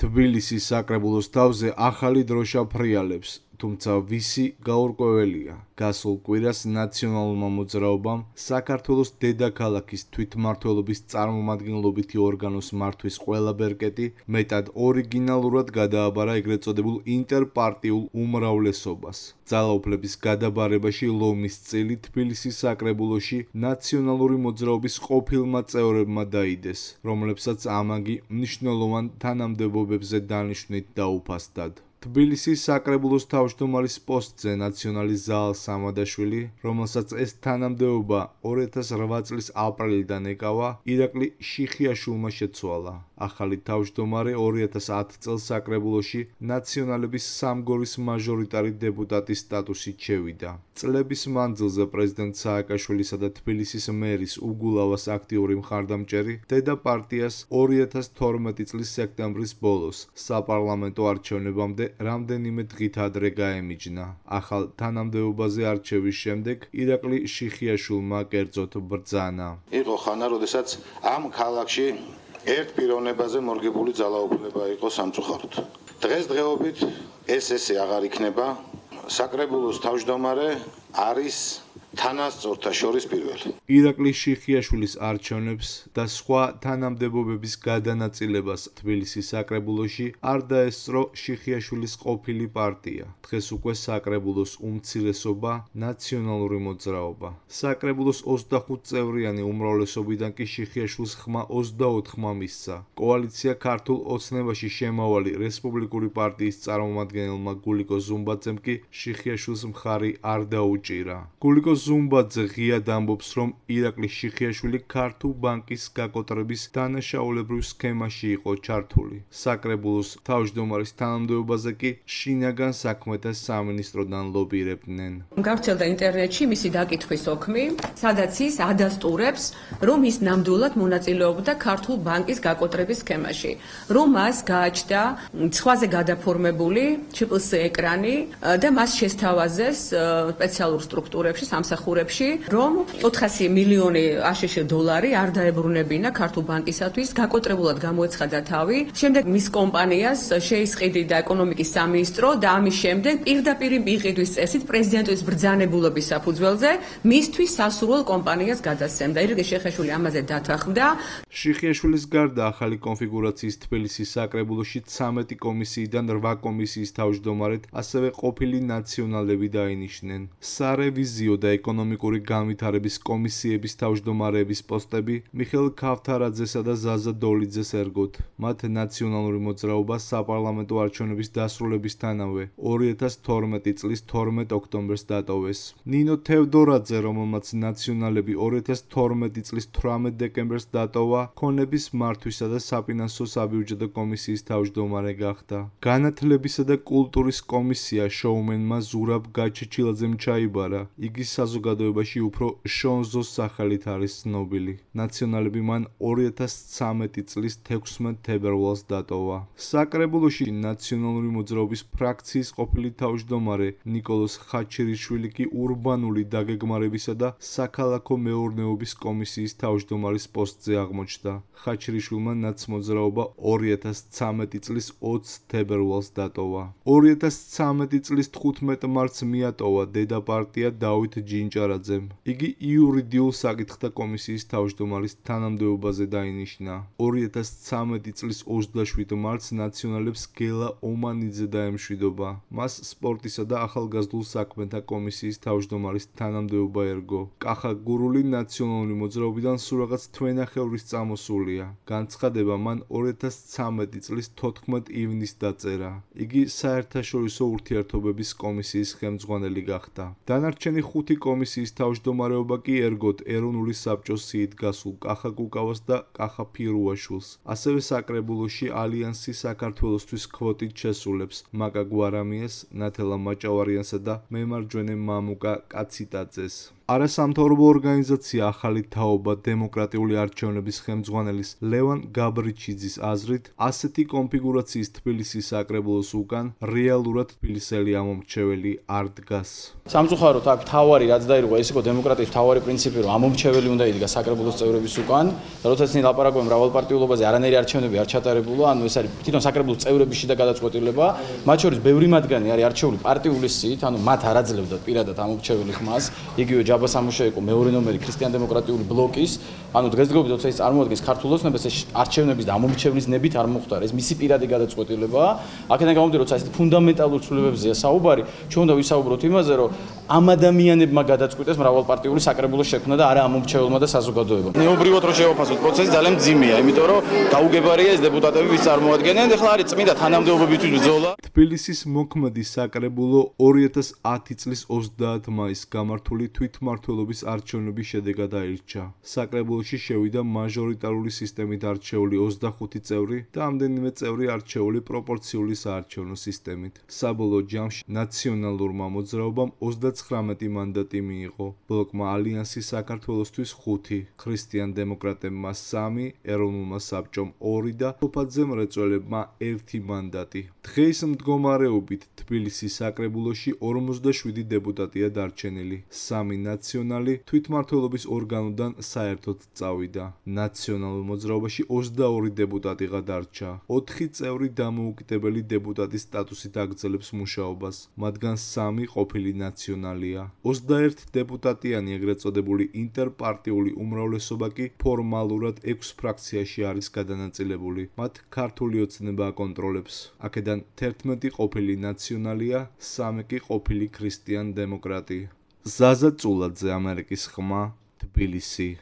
თბილისის საკრებულოს თავზე ახალი დროშა ფრიალებს, თუმცა ვისი გაურკვეველია. გასულ კვირას ნაციონალურმა მოძრაობამ საქართველოს დედაქალაქის თვითმმართველობის წარმომადგენლობითი ორგანოს მართვის ყველა ბერკეტი მეტად ორიგინალურად გადააბარა ეგრეთ წოდებულ ინტერპარტიულ უმრავლესობას. ძალაუფლების გადაბარებაში ლომის წილი თბილისის საკრებულოში ნაციონალური მოძრაობის ყოფილმა წევრებმა დაიდეს, რომლებსაც ამაგი მნიშვნელოვან თანამდებობებზე დანიშვნით დაუფასდათ. თბილისის საკრებულოს თავმჯდომარის პოსტზე ნაციონალის ზაალ სამადაშვილი, რომელსაც ეს თანამდებობა 2008 წლის აპრილიდან ეკავა, ირაკლი შიხიაშვილმა შეცვალა. ახალი თავმჯდომარე 2010 წელს საკრებულოში ნაციონალების სამგორის მაჟორიტარი დეპუტატის სტატუსით შევიდა. წლების მანძილზე პრეზიდენტ სააკაშვილისა და თბილისის მერის უგულავას აქტიური მხარდამჭერი დედაპარტიას 2012 წლის სექტემბრის ბოლოს საპარლამენტო არჩევნებამდე რამდენიმე დღით ადრე გაემიჯნა. ახალ თანამდებობაზე არჩევის შემდეგ ირაკლი შიხიაშვილმა კერძოდ ბრძანა. იყო ხანა, როდესაც ამ ქალაქში ერთ პიროვნებაზე მორგებული ძალაუფლება იყო სამწუხაროდ. დღესდღეობით ესე აღარ იქნება. საკრებულოს თავმჯდომარე არის თანასწორთა შორის პირველი. ირაკლი შიხიაშვილის არჩევნებს და სხვა თანამდებობების გადანაწილებას თბილისის საკრებულოში არ დაესწრო შიხიაშვილის ყოფილი პარტია. დღეს უკვე საკრებულოს უმცირესობა ნაციონალური მოძრაობა. საკრებულოს 25 წევრიანი უმრავლესობიდან კი შიხიაშვილს ხმა 24-მა მისცა. კოალიცია ქართულ ოცნებაში შემავალი რესპუბლიკური პარტიის წარმომადგენელმა გულიკო ზუმბაძემ კი შიხიაშვილს მხარი არ დაუჭირა. გულიკო ზუმბაძე ღიად ამბობს, რომ ირაკლი შიხიაშვილი ქართულ ბანკის გაკოტრების დანაშაულებრივ სქემაში იყო ჩართული. საკრებულოს თავმჯდომარის თანამდებობაზე კი შინაგან საქმეთა სამინისტროდან ლობირებდნენ. გავრცელდა ინტერნეტში მისი დაკითხვის ოქმი, სადაც ის ადასტურებს, რომ ის ნამდვილად მონაწილეობდა ქართულ ბანკის გაკოტრების სქემაში, რომ მას გააჩნდა სხვაზე გადაფორმებული ჩიპლს ეკრანი და მას შესთავაზეს სპეციალურ სტრუქტურებში, სამსახურებში, რომ 400 მილიონი აშშ დოლარი არ დაებრუნებინა ქართულ ბანკისათვის, გაკოტრებულად გამოეცხადა თავი. შემდეგ მის კომპანიას შეისყიდიდა ეკონომიკის სამინისტრო და ამის შემდეგ პირდაპირ მიყიდვის წესით პრეზიდენტის ბრძანებულობის საფუძველზე მისთვის სასურველ კომპანიას გადასცემდა. ირაკლი შიხიაშვილი ამაზე დათანხმდა. შიხიაშვილის გარდა ახალი კონფიგურაციის თბილისის საკრებულოში 13 კომისიიდან 8 კომისიის თავმჯდომარედ ასევე ყოფილი ნაციონალები დაინიშნენ. სარევიზიო და ეკონომიკური განვითარების კომისიების თავმჯდომარეების პოსტები მიხეილ ქავთარაძესა და ზაზა დოლიძეს ერგოთ. მათ ნაციონალური მოძრაობა საპარლამენტო არჩევნების დასრულებისთანავე 2012 წლის 12 ოქტომბერს დატოვეს. ნინო თევდორაძე, რომელმაც ნაციონალები 2012 წლის 18 დეკემბერს დატოვა, ქონების მართვისა და საფინანსო საბიუჯეტო კომისიის თავმჯდომარე გახდა. განათლებისა და კულტურის კომისია შოუმენმა ზურაბ გაჩეჩილაძემ ჩაიბარა. იგი საზოგადოებაში უფრო შონზოს სახელით არის ცნობილი. ნაციონალები მან 2013 წლის 16 თებერვალს დატოვა. საკრებულოში ნაციონალური მოძრაობის ფრაქციის ყოფილი თავმჯდომარე ნიკოლოზ ხაჩერიშვილი კი ურბანული დაგეგმარებისა და საქალაქო მეურნეობის კომისიის თავმჯდომარის პოსტზე აღმოჩნდა. ხაჩერიშვილმა ნაცმოძრაობა 2013 წლის 20 თებერვალს დატოვა. 2013 წლის 15 მარტს მიატოვა დედაპარტია დავით ჯინჭარაძემ. იგი იურიდიულ საკითხთა კომისიის თავმჯდომარის თანამდებობაზე დაინიშნა. 2013 წლის 27 მარტს ნაციონალებს გელა ომანიძე დაემშვიდობა. მას სპორტისა და ახალგაზრდულ საქმეთა კომისიის თავმჯდომარის თანამდებობა ერგო. კახა გურული ნაციონალური მოძრაობიდან სულ რაღაც თვენახევრის წამოსულია. განცხადება მან 2013 წლის 14 ივნისს დაწერა. იგი საერთაშორისო ურთიერთობების კომისიის ხელმძღვანელი გახდა. დანარჩენი 5 კომისიის თავმჯდომარეობა კი ერგოთ ეროვნული საბჭოს სიით გასულ კახა კუკავას და კახა ფირუაშვილს. ასევე საკრებულოში ალიანსი საქართველოსთვის კვოტით შესულებს მაკა გვარამიას, ნათელა მაჭავარიანსა და მემარჯვენე მამუკა კაციტაძეს. არასამთავრობო ორგანიზაცია ახალი თაობა დემოკრატიული არჩევნების ხელმძღვანელის ლევან გაბრიჩიძის აზრით, ასეთი კონფიგურაციის თბილისის საკრებულოს უკან რეალურად თბილისელი ამომრჩეველი არ დგას. სამწუხაროდ აქ თავარი რაც დაირღვა, ეს იყო დემოკრატიის თავარი პრინციპი, რომ ამომრჩეველი უნდა იდგა საკრებულოს წევრების უკან და როდესაც ისინი ლაპარაკობენ მრავალპარტიულობაზე, არანაირი არჩევნები არ ჩატარებულა, ანუ ეს არის თვითონ საკრებულოს წევრების შიდა გადაწყვეტილება, მათ შორის ბევრი მათგანი არის არჩეული პარტიული სიით, ანუ მათ არ აძლევდათ პირადად ამომრჩეველი ხმას, იგივე ჯაბა სამუშა იყო მეორე ნომერი ქრისტიან-დემოკრატიული ბლოკის, ანუ დღესდღეობით როცა ის წარმოადგენს ქართულ ოცნებას, ეს არჩევნების და ამომრჩევლის ნებით არ მოხდა, ეს მისი პირადი გადაწყვეტილებაა. აქედან გამომდინარე, როცა ეს ფუნდამენტალურ ცვლილებებზეა საუბარი, ჩვენ უნდა ვისაუბროთ იმაზე, რომ ამ ადამიანებმა გადაწყვიტეს მრავალპარტიული საკრებულოს შექმნა და არა ამომრჩეველმა და საზოგადოებამ. ნეობრივად რო შევაფასოთ პროცესი ძალიან მძიმეა, იმიტომ რომ გაუგებარია ეს დეპუტატები ვის წარმოადგენენ, ეხლა არის წმინდა თანამდებობებისთვის ბრძოლა. თბილისის მოქმედი საკრებულო 2010 წლის 30 მაისს გამართული თვითმმართველობის არჩევნების შედეგად აირჩა. საკრებულოში შევიდა მაჟორიტარული სისტემით არჩეული 25 წევრი და ამდენიმე წევრი არჩეული პროპორციული საარჩევნო სისტემით. საბოლოო ჯამში ნაციონალურმა მოძრაობამ 39 მანდატი მიიღო, ბლოკმა ალიანსი საქართველოსთვის 5, ქრისტიან-დემოკრატებმა 3, ეროვნულმა საბჭომ 2 და თოფაძე მრეწველებმა 1 მანდატი. დღეს მდგომარეობით თბილისის საკრებულოში 47 დეპუტატია დარჩენილი, 3 ნაციონალი თვითმმართველობის ორგანოდან საერთოდ წავიდა. ნაციონალურ მოძრაობაში 22 დეპუტატი გადარჩა, 4 წევრი დამოუკიდებელი დეპუტატის სტატუსით აგრძელებს მუშაობას, მათგან 3 ყოფილი ნაციონალია. 21 დეპუტატიანი ეგრეთ წოდებული ინტერპარტიული უმრავლესობა კი ფორმალურად 6 ფრაქციაში არის გადანაწილებული. მათ ქართული ოცნება აკონტროლებს. აქედან 11 ყოფილი ნაციონალია, 3 კი ყოფილი ქრისტიან-დემოკრატი. ზაზა წულაძე, ამერიკის ხმა, თბილისი.